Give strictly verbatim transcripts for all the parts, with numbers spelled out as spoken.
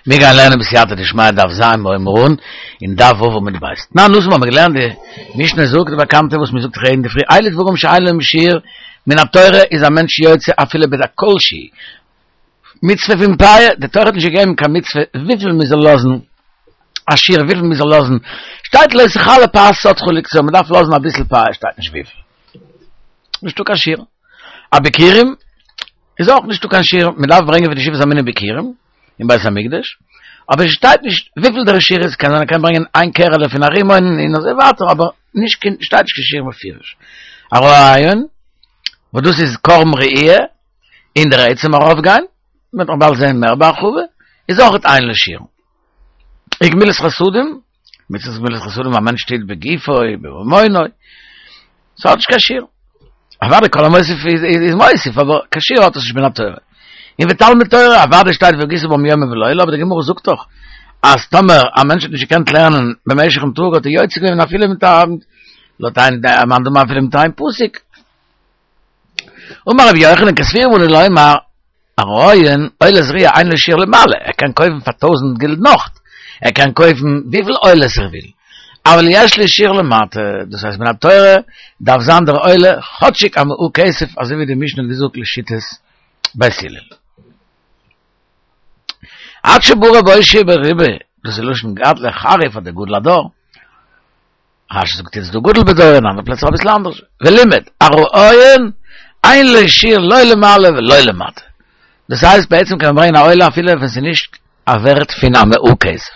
מיר גייען לערנען בסייעתא דשמיא דף ז' מורה אין דף ו' עמוד ב'. נא נוסח האבן מיר געלערנט די משנה זאגט די באקאנטע וואס מ'זאגט יעדן אינדערפרי אלו דברים שאין להם שיעור מן התורה איז א מענטש יוצא אפילו בדקה כלשהי מצוה פון פאה די תורה האט נישט געגעבן קיין מצוה וויפיל מ'זאל לאזן א שיעור וויפיל מ'זאל לאזן שטייט לא תכלה פאת שדך לקצור מ'דארף לאזן אביסל פאה שטייט נישט וויפיל נישטא קיין שיעור א ביכורים איז אויך נישטא קיין שיעור מ'דארף ברענגען פון די שבעת המינים ביכורים אין בית המקדש, אבער עס שטייט נישט וויפיל דער שיעור איז, קען זיין ער קען ברענגען איין קערעלע פון א רימון און אזוי ווייטער, אבער נישט קיין, שטייט נישט קיין שיעור מפורש. הראיון, וואס דאס איז קרבן ראי' און דער עצם ארויפגיין, מען וועט נאך באלד זען מער בהרחבה, איז אויך אין לו שיעור. וגמילות חסדים, מצוות גמילות חסדים א מענטש טוט בגופו ובממונו, ס'האט נישט קיין שיעור. אוודאי כל המוסיף איז מוסיף, אבער קיין שיעור האט עס נישט מן התורה. און ותלמוד תורה, אוודאי שטייט והגית בם יומם ולילה, אבער די גמרא זאגט דאך אז טאמער א מענטש האט נישט געקענט לערנען במשך'ן טאג האט ער יוצא געווען אפילו מיט א, לויט איין מאן דאמר אפילו מיט איין פסוק. אמר רבי יוחנן כסבורים אנו לומר, הראיון, עולת ראיה אין לו שיעור למעלה, ער קען קויפן פאר טויזנט גילדן נאך, ער קען קויפן וויפיל עולות ער וויל, אבל יש לו שיעור למטה, דאס הייסט מן התורה דארף זיין דער עולה כאטשיג א מעה כסף אזוי ווי די משנה האט געזאגט לשיטת בית הלל. עד שבא רבי אושעיא ברבי, דאס איז לשון גדלא חריף אדער גדול הדור, רשי זאגט איצט דא גדול בדור אין אנדערע פלעצער אביסל אנדערש, ולימד, הראיון, אין לו שיעור לא למעלה ולא למטה. דאס הייסט בעצם קען מען ברענגען א עולה אפילו ווען ס'איז נישט א ווערט פון א מעה כסף.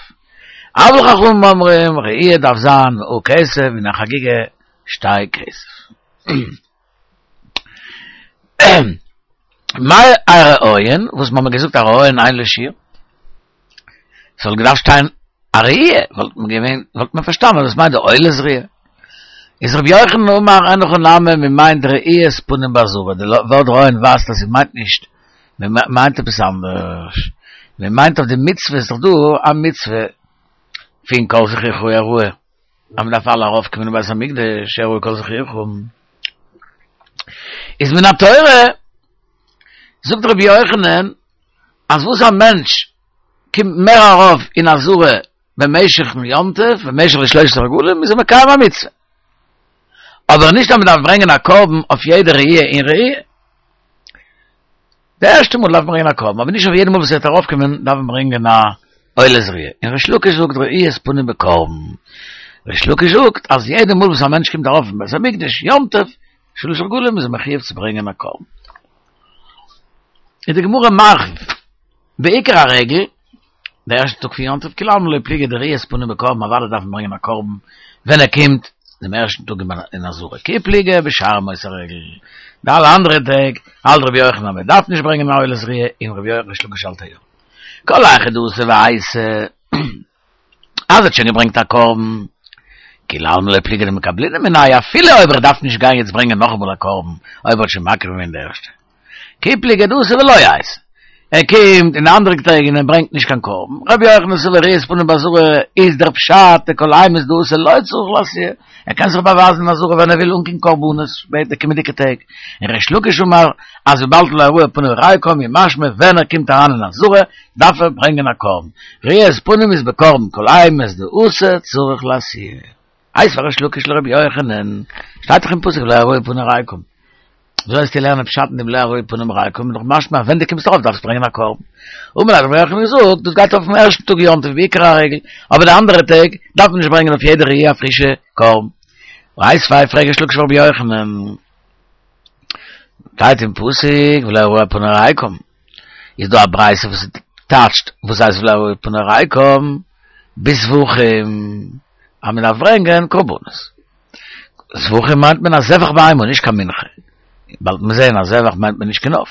אבל חכמים אומרים, ראי' דארף זיין מעה כסף און א חגיגה שתי כסף. מאי הראיון, וואס מ'האמיר געזאגט הראיון אין לו שיעור? ס'וואלט געדארפט שטיין א ראי', וואלט מען געווען, וואלט מען פארשטאנען אז דאס מיינט די עולת ראי'. איז רבי יוחנן אמר אין הכי נמי מ'מיינט ראיית פנים בעזרה, די ווארט ראיון ווייזט אז ס'מיינט נישט, מ'מיינט עפעס אנדערש, מ'מיינט אויף די מצוה, איז דאך דא א מצוה פון כל זכורך יראה, אז מ'דארף אלע ארויפקומען אין בית המקדש, יראה כל זכורך. איז מן התורה, זאגט רבי יוחנן, אז וואס א מענטש קומט מער ארויף אין עזרה במשך'ן יום טוב, במשך די שלושת הרגלים, איז ער מקיים א מצוה. אבער נישט אז מען דארף ברענגען א קרבן אויף יעדע ראי' און ראי'. די ערשטע מאל דארף מען ברענגען א קרבן, אבער נישט אויף יעדע מאל וואס ער וועט ארויפקומען דארף מען ברענגען א עולת ראי'. און ריש לקיש זאגט ראיית פנים בקרבן. ריש לקיש זאגט אז יעדע מאל וואס א מענטש קומט ארויף אין בית המקדש יום טוב, שלש רגלים איז ער מחויב צו ברענגען א קרבן. איז די גמרא מרחיב, בעיקר הרגל, די ערשטע טאג פון יום טוב, כולי עלמא לא פליגי דראיית פנים בקרבן, אוודאי דארף מען ברענגען א קרבן ווען ער קומט דעם ערשטן טאג אין עזרה, כי פליגי בשאר ימות הרגל, די אלע אנדערע טעג האלט רבי יוחנן אז מען דארף נישט ברענגען א עולת ראיה און רבי ריש לקיש האלט יא. כל היכא דאתא ואייתי. אז ער האט שוין געברענגט א קרבן, כולי עלמא לא פליגי דמקבלינן מיניה, אפילו אויב ער דארף נישט גיין יעצט ברענגען נאכאמאל א קרבן, אויב ער האט שוין מקריב געווען די ערשטע. כי פליגי דאתא ולא אייתי. ער קומט אין די אנדערע טעג און ער ברענגט נישט קיין קרבן. רבי יוחנן סבר ראיית פנים בעזרה איז דער פשט דכל אימת דאתא לא צריך לאתויי, ער קען זיך באווייזן אין עזרה ווען ער וויל אן קיין קרבנות בעת די קומענדיגע טעג. און ריש לקיש אמר אז וויבאלד לא הראו פנים ריקם איז משמע ווען ער קומט אריין אין עזרה דארף ער ברענגען א קרבן, ראיית פנים איז בקרבן כל אימת דאתא צריך לאתויי. איתיביה ריש לקיש לרבי יוחנן, שטייט דאך אין פסוק לא יראו פני ריקם. וויאזוי וועסטו לערנען פשט אין דעם לא יראו פנים ריקם איז דאך משמע אז ווען דו קומסט ארויף דארפסטו ברענגען א קרבן. אמר ליה האט רבי יוחנן געזאגט, דאס גייט אויפן ערשטן טאג יום טוב בעיקר הרגל, אבער די אנדערע טעג דארף מען נישט ברענגען אויף יעדע ראי' א פרישע קרבן. איתיביה פרעגט ריש לקיש פאר רבי יוחנן, שטייט אין פסוק ולא יראו פני ריקם, איז דא א ברייתא וואס טייטשט וואס הייסט ולא יראו פני ריקם בזבחים אז מען דארף ברענגען קרבנות. זבחים מיינט מען א זבח בהמה נישט קיין מנחה. באלד וועט מען זעהן אז זבח מיינט מען נישט קיין עוף.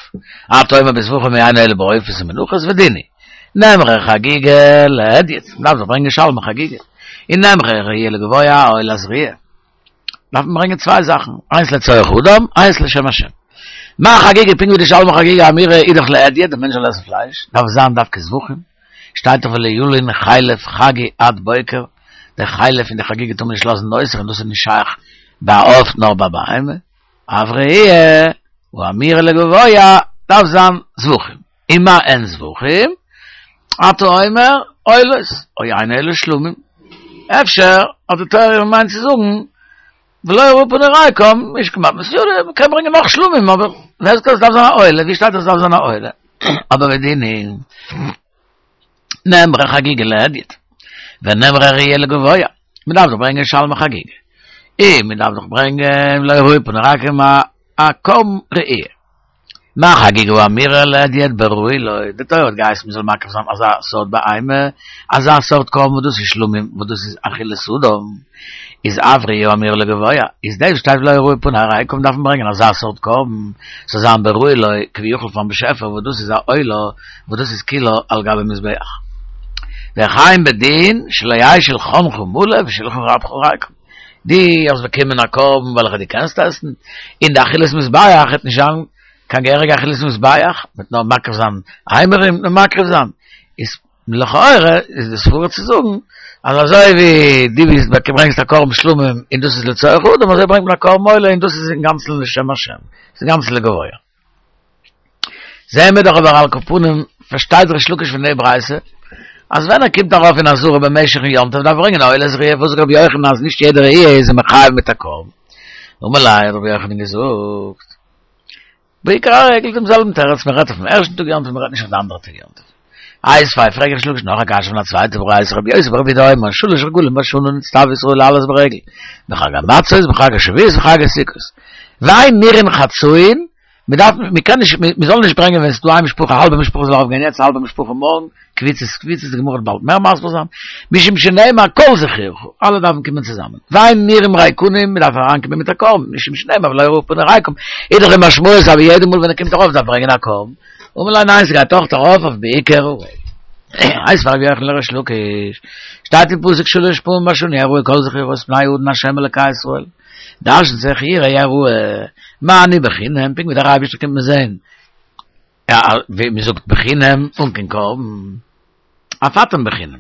אתה אומר בזבחים או אינו אלא בעופות ומנחות ודין הוא. נאמרה חגיגה להדיוט, מען דארף דאך ברענגען שלמי חגיגה. און נאמרה ראיה לגבוה עולת ראיה. דארף מען ברענגען צוויי זאכן, איינס לצורך אדם, איינס לשם השם. מה חגיגה, פונקט ווי די שלמי חגיגה אמירה איז דאך להדיוט, דער מענטש זאל עסן פלייש, דארף זיין דווקא זבחים, שטייט דאך ולא ילין חלב חגי עד בוקר, די חלב פון די חגיגה טאר מען נישט לאזן נותר און דאס איז נישט שייך ביי א עוף נאר ביי בהמה, אף ראיה, האמירה לגבוה, דארף זיין זבחים. ומה הן זבחים? אתה אומר, עולות, או אין עולות שלומים. אפשר, האט די תורה געמיינט צו זאגן, ולא יראו פני ריקם, איז כמעט מסודר, מ'קען ברענגען נאך שלומים, אבער ווער זאגט אז עס דארף זיין א עולה, ווי שטייט אז עס דארף זיין א עולה? אבער ודינים, נאמרה חגיגה להדיוט, ונאמרה ראיה לגבוה, מען דארף דאך ברענגען שלמי חגיגה, און מען דארף דאך ברענגען ולא יראו פני ריקם א קרבן ראיה. מה חגיגה האמורה להדיוט בראוי לו, די תורה האט געהייסן מען זאל מקריב זיין אזא סארט בהמה, אזא סארט קרבן וואס דאס איז שלמים, וואס דאס איז אכילת אדם, איז אף ראיה האמורה לגבוה, איז דאס שטייט ולא יראו פני ריקם דארף מען ברענגען אזא סארט קרבן, ס'זאל זיין בראוי לו, כביכול פארן באשעפער וואס דאס איז א עולה, וואס דאס איז כולה על גבי מזבח. והחיים בדין שלא יהא שלחנך מלא ושלחן רבך ריקם. דו האסט באקומען א קרבן וועלכע דו קענסט עסן, און די אכילת מזבח וועט נישט זיין קיין געהעריגע אכילת מזבח, מ'וועט נאר מקריב זיין אימורים, נאר מקריב זיין, איז לכאורה איז די סברה צו זאגן אז אזוי ווי דו ביסט ברענגסט א קרבן שלמים און דאס איז לצורך אדם, אזוי ברענגט מען א קרבן עולה און דאס איז אינגאנצן לשם השם, ס'איז אינגאנצן לגבוה. זעהן מיר דאך אבער על כל פנים, פארשטייט ריש לקיש פון די ברייתא, אז ווען ער קומט ארויף אין עזרה במשך'ן יום טוב דארף ער ברענגען א עולת ראיה, וואס זאגט רבי יוחנן אז נישט יעדע ראיה איז ער מחייב מיט א קרבן? אמר ליה האט רבי יוחנן געזאגט, בעיקר הרגל דעם זעלבן תירוץ, מען רעדט אויפן ערשטן טאג יום טוב, מען רעדט נישט אויף די אנדערע טאג יום טוב. איתיביה, פרעגט ריש לקיש נאך א קשיא פון א צווייטע ברייתא, רבי יוסי ברבי יהודה אומר, שלש רגלים בשנה נצטוו ישראל לעלות ברגל, בחג המצות, בחג השבועות, בחג הסוכות. ואין נראין חצאין, מען דארף, מען קען נישט, מען זאל נישט ברענגען ווען עס איז דא איין משפחה, א האלבע משפחה זאל ארויף גיין יעצט, א האלבע משפחה מארגן, קבוצות קבוצות, די גמרא וועט באלד מער מסביר זיין, משום שנאמר כל זכורך, אלע דארפן קומען צוזאמען, ואין נראים ריקנים, מען דארף אריינקומען מיט א קרבן, משום שנאמר ולא יראו פני ריקם, איז דאך די משמעות אז יעדע מאל ווען ער קומט ארויף דארף ברענגען א קרבן, אמר ליה ניין ס'גייט אויך ארויף אויף בעיקר הרגל. איתיביה רבי יוחנן לריש לקיש, שטייט אין פסוק שלש פעמים בשנה יראה כל זכורך את פני האדון השם אלקי ישראל, דרש'נט זיך יראה יראה, מה אני בחינם, פונקט ווי דער אייבערשטער קומט מען זען, ווי מען זאגט בחינם אן קיין קרבן, אף אתם בחינם.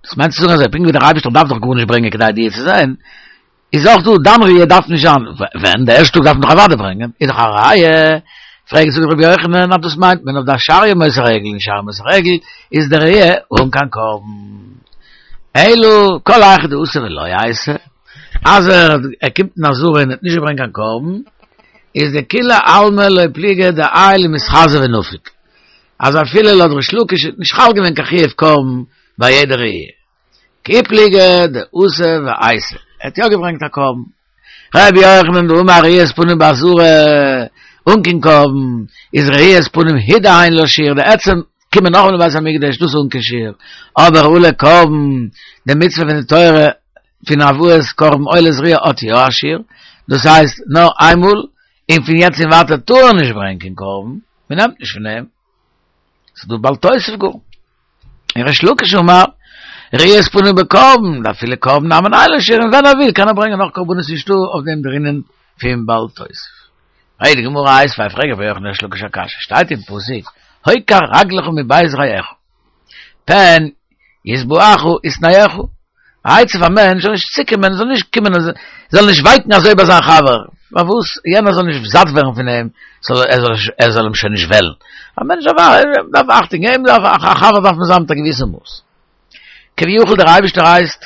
דאס מיינט צו זאגן אזוי, פונקט ווי דער אייבערשטער דארף דאך גארנישט ברענגען כדי דיר צו זען, איז אויך דא דיין ראיה דארף נישט זיין, ווען? די ערשטע טאג דארף מען דאך אוודאי ברענגען, איז דאך א ראיה, פרעגט זאגט רבי יוחנן אז דאס מיינט מען אויף די שאר ימות הרגל, און שאר ימות הרגל איז די ראיה אן קיין קרבן. אלא כל היכא דאתא ולא אייתי, אז ער קומט אין עזרה און האט נישט געברענגט קיין קרבן, איז דכולי עלמא לא פליגי דעייל ומתחזי ונפיק, אז אפילו לויט ריש לקיש איז נישט חל געווען קיין חיוב קרבן ביי יעדע ראיה. כי פליגי דאתא ואייתי, ער האט יא געברענגט א קרבן. רבי יוחנן דאמר ראיית פנים בעזרה אן קיין קרבן, איז ראיית פנים הוא דאין לה שיעור, די עצם קומען נאכאמאל אין בית המקדש דאס איז אן קיין שיעור, אבער הא לקרבן, די מצוה פון די תורה פון הבאת קרבן עולת ראיה האט יא א שיעור, דאס הייסט נאר איינמאל, און פון יעצט און ווייטער טאר ער נישט ברענגען קיין קרבן, מען נעמט נישט פון אים, ס'איז דא בל תוסיף גאר. און ריש לקיש אמר, ראיית פנים בקרבן, דאפילו קרבן נמי אין לו שיעור, און ווען ער וויל קען ער ברענגען נאך קרבנות נישטא אויף דעם דער ענין פון בל תוסיף. פרעגט די גמרא איתיביה פרעגט רבי יוחנן לריש לקיש א קשיא, שטייט אין פסוק, הוקר רגלך מבית רעך, פן ישבעך ישנאך, א עצה פאר מענטש זאל נישט צוקומען, זאל נישט קומען, זאל נישט ווייקן אזוי ביי זיין חבר, פארוואס יענער זאל נישט זאט ווערן פון אים, ער זאל אים שוין נישט וועלן. א מענטש דארף אכטונג געבן, א חבר דארף מען זיין מיט א געוויסע מאס. כביכול דער אייבערשטער הייסט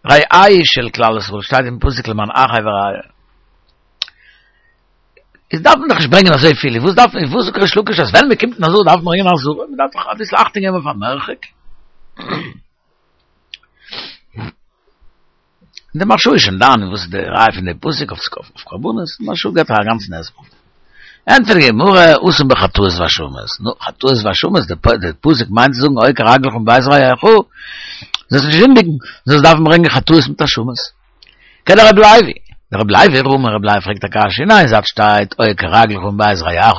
רעהו של כלל ישראל, שטייט אין פסוק למען אחי ורעי. איז דארף מען דאך נישט ברענגען אזוי פיל, וואס דארף מען, וואס זאגט ריש לקיש אז ווען מען קומט אין עזרה דארף מען ברענגען עזרה, מען דארף דאך אביסל אכטונג געבן אויף א מרחק. די מהרש"א איז שוין דן וואס איז די ראיה פון די פסוק אויף קרבנות, די מהרש"א געבט א גאנצן הסבר. ענטפערט די גמרא, התם בחטאות ואשמות, נו, חטאות ואשמות, די פסוק מיינט צו זאגן עוקר רגלך מבית רעך, זאלסט נישט זינדיגן, זאלסט דארפן ברענגען חטאות מיט אשמות. כדרבי לוי, דרבי לוי רמי, רבי לוי פרעגט א קשיא, אין איין זייט שטייט עוקר רגלך מבית רעך,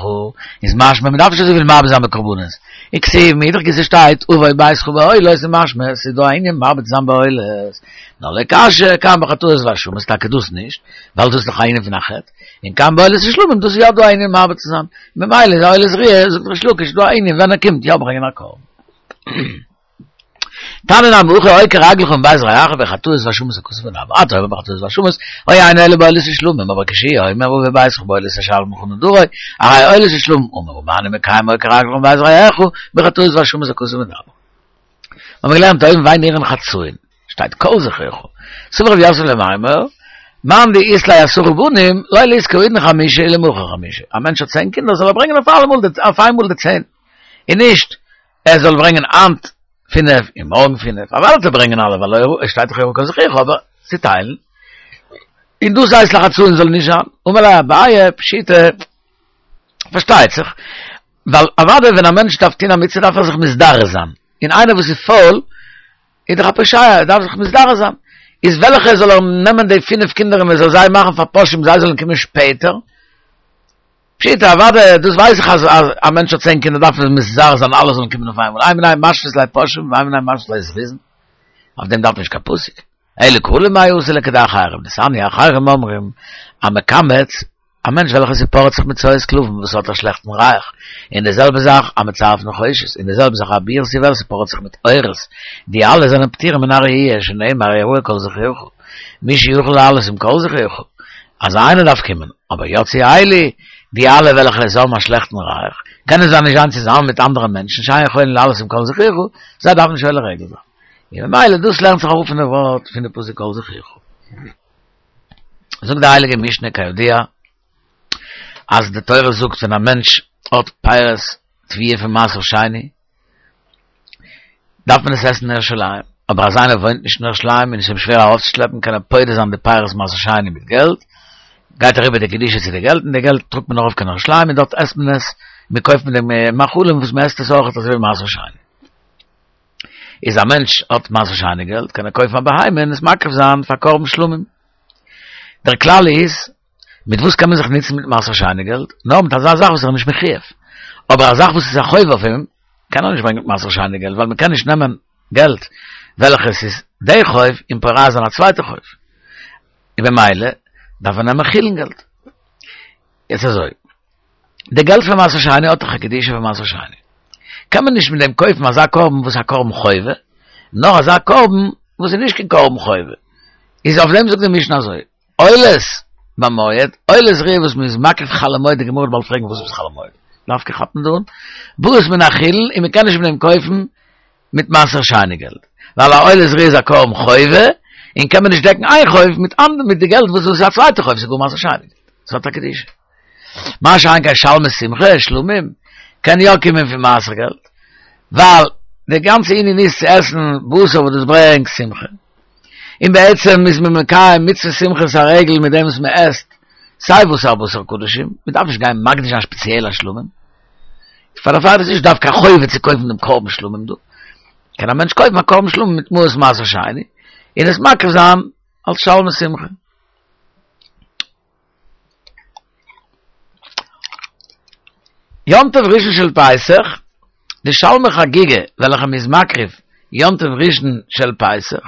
איז משמע מען דארף נישט אזויפיל מרבה זיין בקרבנות, וכתיב מאידך גיסא שטייט ובא ביתך בעולות איז משמע עס איז דא א ענין מרבה צו זיין בעולות, נאר לא קשיא, כאן בחטאות ואשמות טאקע דאס נישט, ווייל דאס איז דאך א ענין פון א חטא, און כאן בעולות ושלמים דאס איז יא דא א ענין מרבה צו זיין, ממילא איז א עולת ראיה, זאגט ריש לקיש דא א ענין ווען ער קומט יא ברענגען א קרבן. תנא נמי הכי עוקר רגלך מבית רעך בחטאות ואשמות הכתוב מדבר אתה אומר בחטאות ואשמות היה אינו אלא בעולות ושלמים אבער כשהוא אומר ובביתך בעולות ושלמיך ונדרי הרי עולות ושלמים אומר ומה אני מקיים עוקר רגלך מבית רעך בחטאות ואשמות הכתוב מדבר מיר געלערנט דהים ואין נראין חצאין שטייט כל זכורך סבר רב יוסף למימר מאן דאית ליה עשרה בנים לא ליזכי האידנא חמשה ולמחר חמשה א מענטש האט צען קינדער זאל ער ברענגען אויף אלעמאל אויף איינמאל די צען און נישט ער זאל ברענגען היינט פינף און מארגן פינף, אוודאי זאל ער ברענגען אלע ווייל עס שטייט דאך כל זכורך אבער צוטיילן, און דאס הייסט לחצאין זאל נישט זיין, אמר ליה אביי פשיטא, פארשטייט זיך, ווייל אוודאי ווען א מענטש דארף טון א מצוה דארף ער זיך מזדרז זיין, און איינער וואס איז פויל איז דאך א פושע, ער דארף זיך מזדרז זיין, איז וועלכע זאל ער נעמען די פינף קינדער און מען זאל זיי מאכן פאר פושעים זיי זאלן קומען שפעטער, פשיטא, אוודאי, דאס ווייס איך אז א מענטש האט צען קינדער דארף מען מזרז זיין אלע זאלן קומען אויף איינמאל, הי מינייהו משווית ליה פושעים והאי מינייהו משווית ליה זריזין, אויף דעם דארף מען נישט קיין פסוק, אלא קלא מאי אתי לכדי אחרים, דתניא אחרים אומרים, המקמץ, א מענטש וועלכער ס'פארעט זיך מיט צואת כלבים וואס האט א שלעכטן ריח, און די זעלבע זאך המצרף נחושת, און די זעלבע זאך אבירת יבלת ס'פארעט זיך מיט עורות, די אלע זענען פטורים מן הראייה שנאמר הראהו כל זכורך, מי שיכול לעלות עם כל זכורך, אז איינער דארף קומען, אבער יצאו אלו, די אלע וועלכע עס האבן א שלעכטן ריח, קענען זיי נישט זיין צוזאמען מיט אנדערע מענטשן שאין יכולין לעלות עם כל זכורך, זיי דארפן נישט עולה רגל זיין. און ממילא דאס לערנט זיך אראפ פון די ווארט פון די פסוק כל זכורך. זאגט די הייליגע משנה כידוע, אז די תורה זאגט ווען א מענטש האט פירות תבואה פון מעשר שני, דארף מען עס עסן אין ירושלים, אבער אז איינער וואוינט נישט אין ירושלים און עס איז אים שווער ארויפצושלעפן קען ער פודה זיין די פירות מעשר שני מיט געלט, גייט אריבער די קדושה צו די געלט און די געלט טראגט מען ארויף קיין ירושלים און דארט עסט מען עס, מען קויפט מיט דעם מאכלים וואס מען עסט עס אויך אזוי ווי מעשר שני. איז א מענטש האט מעשר שני געלט קען ער קויפן א בהמה און עס מקריב זיין פאר קרבן שלמים. דער כלל איז, מיט וואס קען מען זיך נוצן מיט מעשר שני געלט? נאר מיט אזא זאך וואס ער איז נישט מחויב. אבער א זאך וואס איז א חוב אויף אים, קען ער נישט ברענגען מיט מעשר שני געלט, ווייל מען קען נישט נעמען געלט וועלכעס איז די חוב און פורע זיין א צווייטע חוב. און במילא דארף ער נעמען חולין געלט. יעצט אזוי, די געלט פון מעשר שני האט דאך א קדושה פון מעשר שני. קען מען נישט מיט דעם קויפן אזא קרבן וואס איז א קרבן חובה, נאר אזא קרבן וואס איז נישט קיין קרבן חובה. איז אויף דעם זאגט די משנה אזוי, עולת במועד, עולת ראיה וואס מען איז מקריב חול המועד, די גמרא וועט באלד פרעגן וואס איז חול המועד, דווקא כאפט מען דא אן, באות מן החולין, און מען קען נישט מיט דעם קויפן מיט מעשר שני געלט, ווייל א עולת ראיה איז א קרבן חובה, און קען מען נישט דעקן איין חוב מיט אנדער מיט די געלט וואס איז א צווייטע חוב, ס'איז גאר מעשר שני געלט, ס'האט א קדושה. מה שאין כן שלמי שמחה, שלמים, קען יא קומען פון מעשר געלט, ווייל די גאנצע ענין איז צו עסן בשר וואס דאס ברענגט שמחה. און בעצם איז מען מקיים מצוות שמחת הרגל מיט דעם וואס מען עסט סיי וואס א בשר קדשים, מען דארף נישט גיין מקדיש זיין שפעציעל א שלמים, פאר דערפאר איז נישט דווקא א חובה צו קויפן דעם קרבן שלמים דא, קען א מענטש קויפן א קרבן שלמים מיט מעות מעשר שני און עס מקריב זיין אלס שלמי שמחה. יום טוב ראשון של פסח, די שלמי חגיגה וועלכע מ'איז מקריב יום טוב ראשון של פסח,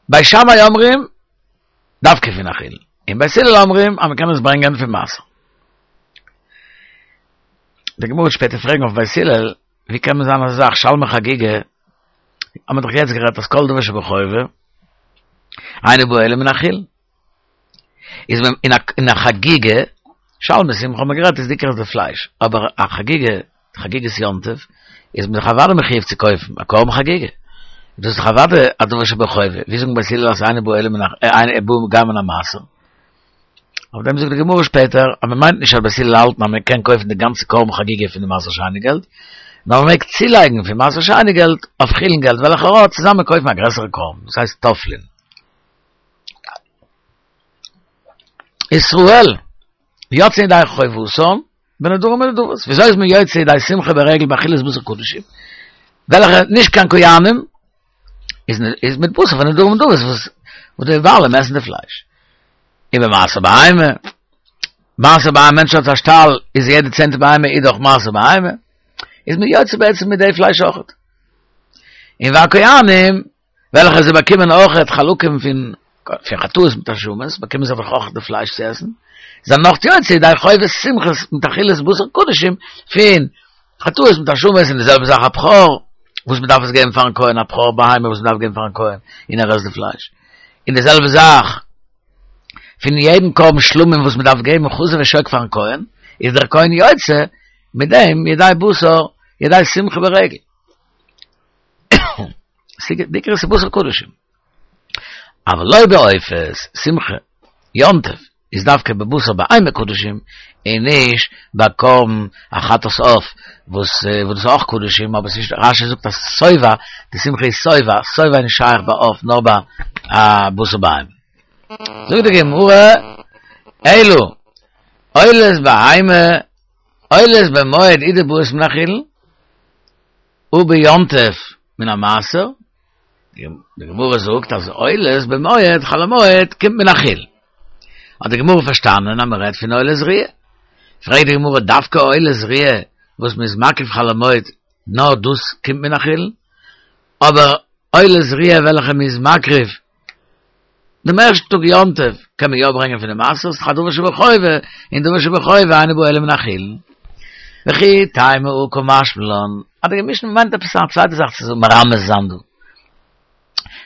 בית שמאי אומרים דווקא פון החולין, און בית הלל אומרים אז מ'קען עס ברענגען פון מעשר. די גמרא וועט שפעטער פרעגן אויף בית הלל, ווי קען מען זיין אזא זאך שלמי חגיגה, האמיר דאך יעצט גערעדט אז כל דבר שבחובה אינו בא אלא מן החולין. איז ווען אין א אין א חגיגה, שלמי שמחה האט מען גערעדט איז די עיקר איז די פלייש, אבער א חגיגה, חגיגת יום טוב, איז מען דאך אוודאי מחויב צו קויפן א קרבן חגיגה, דאס איז דאך אוודאי א דבר שבחובה, ווי זאגן בית הלל אז אינו בא אלא מן ה אינו בא גם מן המעשר? אויף דעם זאגט די גמרא שפעטער אז מען מיינט נישט אז בית הלל האלטן אז מען קען קויפן די גאנצע קרבן חגיגה פון די מעשר שני געלט, נאר מען מעג צולייגן פון מעשר שני געלט אויף חולין געלט וועלכע ער האט צוזאמען קויפן א גרעסערע קרבן, דאס הייסט תופלין. ישראל יוצאין ידי חובתן בנדרים ונדבות, וויאזוי איז מען יוצא ידי שמחה ברגל באכילת בשר קדשים, וועלכע נישט קיין כהנים, איז איז מיט בשר פון נדרים ונדבות וואס וואס די בעלים עסן די פלייש. ובמעשר בהמה, מעשר בהמה, מענטש האט א שטאל, איז יעדע צענטע בהמה איז דאך מעשר בהמה, איז מען יוצא בעצם מיט די פלייש אויכעט. און והכהנים, וועלכע זיי באקומען אויכעט חלקים פון פון חטאות מיט אשמות, באקומען זיי דאך אויך די פלייש צו עסן, זענען נאך יוצא ידי חובת שמחות מיט אכילת בשר קדשים פון חטאות מיט אשמות און די זעלבע זאך א בכור וואס מ'דארף עס געבן פארן כהן, א בכור בהמה וואס מ'דארף געבן פארן כהן, און ער עסט די פלייש. און די זעלבע זאך, פון יעדן קרבן שלמים וואס מ'דארף געבן חזה ושוק פארן כהן, איז דער כהן יוצא מיט דעם ידי בשר, ידי שמחה ברגל. דער עיקר איז בשר קדשים. אבל לא בעופות, שמחה, יום טוב, איז דווקא בבשר בהמה קדשים, און נישט ביי קרבן א חטאת עוף, וואס וואס דאס איז אויך קדשים, אבער ס'נישט, רשי זאגט אז שובע, די שמחה איז שובע, שובע איז נישט שייך ביי עוף, נאר ביי א בשר בהמה. זאגט די גמרא, אלא, עולות בהמה, עולות במועד הוא דבאות מן החולין, וביום טוב מן המעשר, די גמרא זאגט אז עולות במועד, חול המועד, קומט מן החולין. האט די גמרא פארשטאנען אז מען רעדט פון עולת ראיה. פרעגט די גמרא, דווקא עולת ראיה וואס מען איז מקריב חול המועד, נאר דאס קומט מן החולין? אבער עולת ראיה וועלכע מען איז מקריב דעם ערשטן טאג יום טוב, קען מען יא ברענגען פון די מעשר, ס'איז דאך א דבר שבחובה, און דבר שבחובה אינו בא אלא מן החולין. וכי תימא הא קא משמע לן, אז די משנה מיינט עפעס א צווייטע זאך צו מרמז זיין דא.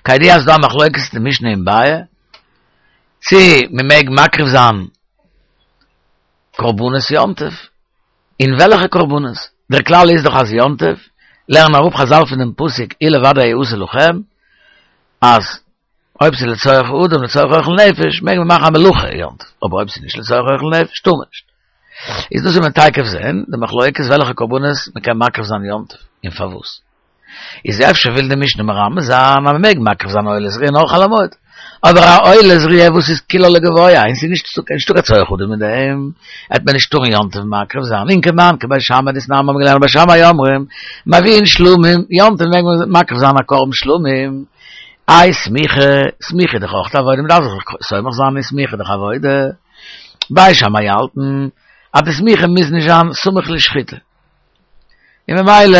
כידוע אז ס'דא א מחלוקת אין די משנה אין ביעא, צי מ'מעג מקריב זיין קרבנות יום טוב, און וועלכע קרבנות? דער כלל איז דאך אז יום טוב, לערנען אראפ חזל פון דעם פסוק הוא לבדו יעשה לכם, אז אויב ס'איז לצורך אדם לצורך אוכל נפש מעג מען מאכן א מלאכה יום טוב, אבער אויב ס'איז נישט לצורך אוכל נפש טאר מען נישט. איז דאס וועט מען תיכף זען די מחלוקת וועלכע קרבנות מען קען מקריב זיין יום טוב און פארוואס. איז אפשר וויל די משנה מרמז זיין אז מען מעג מקריב זיין עולת ראיה נאר חול המועד, אבער א עולת ראיה וואס איז כולה לגבוה און ס'איז נישטא קיין צורך אדם אין דעם, העט מען נישט טארן יום טוב מקריב זיין, און כמאן כבית שמאי דתנן האבן געלערנט בית שמאי אומרים מביאין שלמים, יום טוב מעג מען מקריב זיין א קרבן שלמים, איי סמיכה, סמיכה איז דאך אויך א עבודה, מ'דארף זיך סומך זיין אין סמיכה איז דאך עבודה, בית שמאי האלטן אז די סמיכה מוז נישט זיין סמוך לשחיטה, און ממילא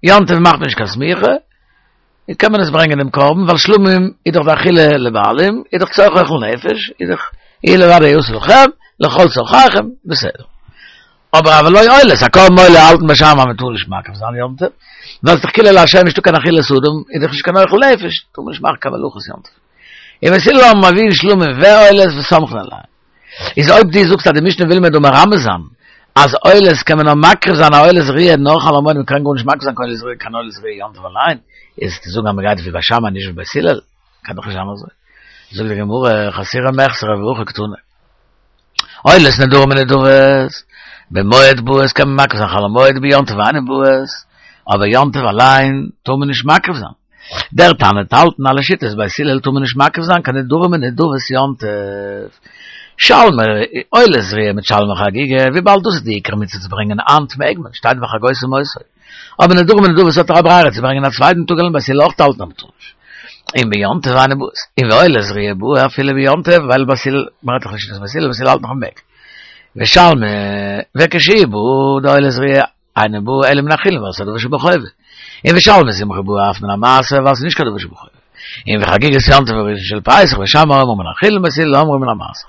יום טוב מאכט מען נישט קיין סמיכה, קען מען עס ברענגען דעם קרבן, ווייל שלמים איז דאך די אכילה לבעלים, איז דאך צורך אוכל נפש, איז דאך הוא לבדו יעשה לכם, לכל צרכיכם, בסדר. אבער אבל לא עולות, א קרבן עולה האלטן בית שמאי אז מען טאר נישט מקריב זיין יום טוב, ווייל ס'איז דאך כולה לה' נישטא קיין אכילת אדם, איז דאך נישט קיין אוכל נפש, טאר מען נישט מאכן קיין מלאכות יום טוב. ובית הלל אומרים מביאין שלמים ועולות וסומכין עליהן. איז אויב דו זאגסט אז די משנה וויל מיר דא מרמז זיין אז עולות קען מען נאר מקריב זיין א עולת ראיה נאר חול המועד מען קען גארנישט מקריב זיין קיין עולת ראיה קיין עולת ראיה יום טוב אליין, איז צו זאגן אז מען גייט ווי בית שמאי נישט ווי בית הלל, קען דאך נישט זיין אזוי. זאגט די גמרא, חסורי מחסרא והכי קתני. עולות נדרים ונדבות, במועד באות קען מען מקריב זיין חול המועד ביום טוב אינן באות, אבער יום טוב אליין טאר מען נישט מקריב זיין. דער תנא וועט האלטן אז לשיטת בית הלל טאר מען נישט מקריב זיין קיין נדרים און נדבות יום טוב. שלמי עולת ראיה מיט שלמי חגיגה, וויבאלד דאס איז די עיקר מצוה צו ברענגען היינט מעג מען, שטייט וחגותם אותו. אבער נדרים און נדבות האט ער א ברירה צו ברענגען א צווייטן טאג וועלן בית הלל אויך האלטן אז מ'טאר נישט. און ביום טוב אינן באות. און ועולת ראיה באה אפילו ביום טוב ווייל בית הלל מ'רעדט דאך נישט בית הלל בית הלל האלט נאך מ'מעג. ושלמי וכשהיא באה די עולת ראיה אינה באה אלא מן החולין ווייל ס'איז א דבר שבחובה. און ושלמי שמחה באה אף מן המעשר ווייל ס'איז נישט קיין דבר שבחובה. און וחגיגת יום טוב וראשון של פסח בית שמאי אומרים מן החולין בית הלל אומרים מן המעשר.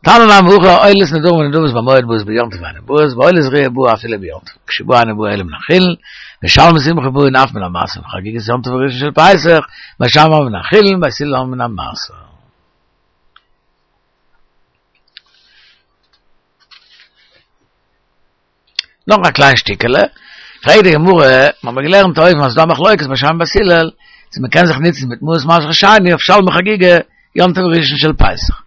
תנא נמי הכי עולות נדרים ונדבות במועד באות ביום טוב אינן באות ועולת ראיה באה אפילו ביום טוב כשבאה אינה באה אלא מן החולין ושלמי שמחה באה אף מן המעשר וחגיגת יום טוב וראשון של פסח בית שמאי אומרים מן החולין בית הלל אומרים מן המעשר. נאך א קליין שטיקעלע, פרעגט די גמרא, מיר האבן געלערנט אויבן אז ס'דא א מחלוקת בית שמאי בית הלל, צו מ'קען זיך נוצן מיט מעות מעשר שני אויף שלמי חגיגה יום טוב ראשון של פסח.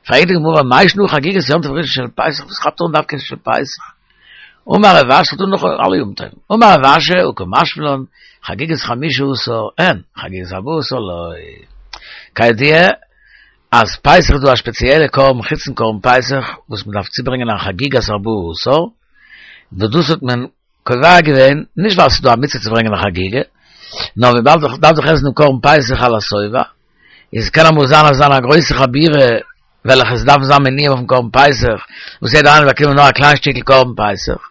פרעגט די גמרא, מאי שנא חגיגת יום טוב ראשון של פסח, וואס כאפט אן דווקא של פסח? אמר רב אשי, ס'דא נאך אלע יום טובים, אמר רב אשי, הא קא משמע לן, חגיגת חמשה עשר אין, חגיגת ארבעה עשר לא. כידוע, אז פסח איז דא א שפעציעלע קרבן חוצן קרבן פסח וואס מען דארף צוברענגען א חגיגת ארבעה עשר, וואס דאס האט מען קובע געווען נישט ווייל ס'איז דא א מצוה צו ברענגען א חגיגה, נאר וויבאלד איך דארף דאך עסן דעם קרבן פסח על השובע, איז קען אמאל זיין אז זיין א גרויסע חבורה וועלכע עס דארף זיין מנויים אויפן קרבן פסח, וואס יעדער איינער באקומען נאר א קליין שטיקל קרבן פסח,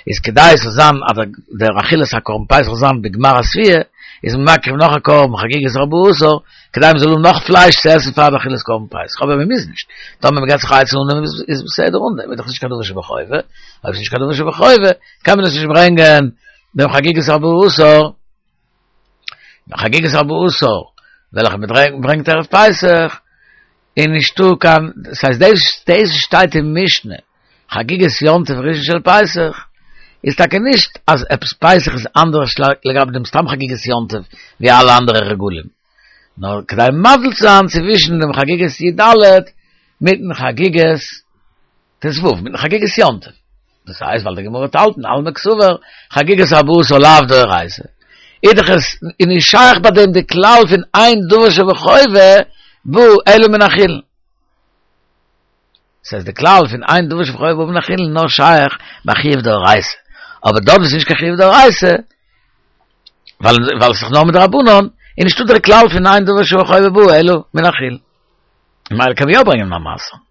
איז כדי עס זאל זיין אז דער אכילת הקרבן פסח זאל זיין בגמר השביעה, איז מען מקריב נאך א קרבן חגיגת ארבעה עשר, כדי מען זאל האבן נאך פלייש צו עסן פאר די אכילת קרבן פסח, אבער מען מוז נישט, טאמער מען געבט זיך א עצה אן דעם איז בסדר אן דעם, איז דאך נישט קיין דבר שבחובה, אויב עס איז נישט קיין דבר שבחובה, קען מען עס נישט ברענגען דעם חגיגת ארבעה עשר. חגיגת ארבעה עשר, וועלכע מ'ברענגט ערב פסח, איז נישטא קיין, דאס הייסט דאס דאס שטייט אין משנה, חגיגת יום טוב ראשון של פסח, איז טאקע נישט אז עפעס פסח איז אנדערש לגבי דעם סתם חגיגת יום טוב ווי אלע אנדערע רגלים, נאר כדי מבדיל צו זיין צווישן דעם חגיגת י"ד מיטן חגיגת ט"ו, מיטן חגיגת יום טוב. דאס הייסט ווייל די גמרא האט האלטן אלמא קסבר חגיגת ארבעה עשר לאו דאורייתא. איז דאך עס איז נישט שייך ביי דעם די כלל פון אין דבר שבחובה בא אלא מן החולין. ס'הייסט די כלל פון אין דבר שבחובה בא מן החולין נאר שייך ביי חיוב דאורייתא. אבער דארט וואו ס'איז נישט קיין חיוב דאורייתא, ווייל ווייל ס'איז נאר מדרבנן, איז נישטא דער כלל פון אין דבר שבחובה בא אלא מן החולין. ממילא קען מען יא ברענגען א מעשר.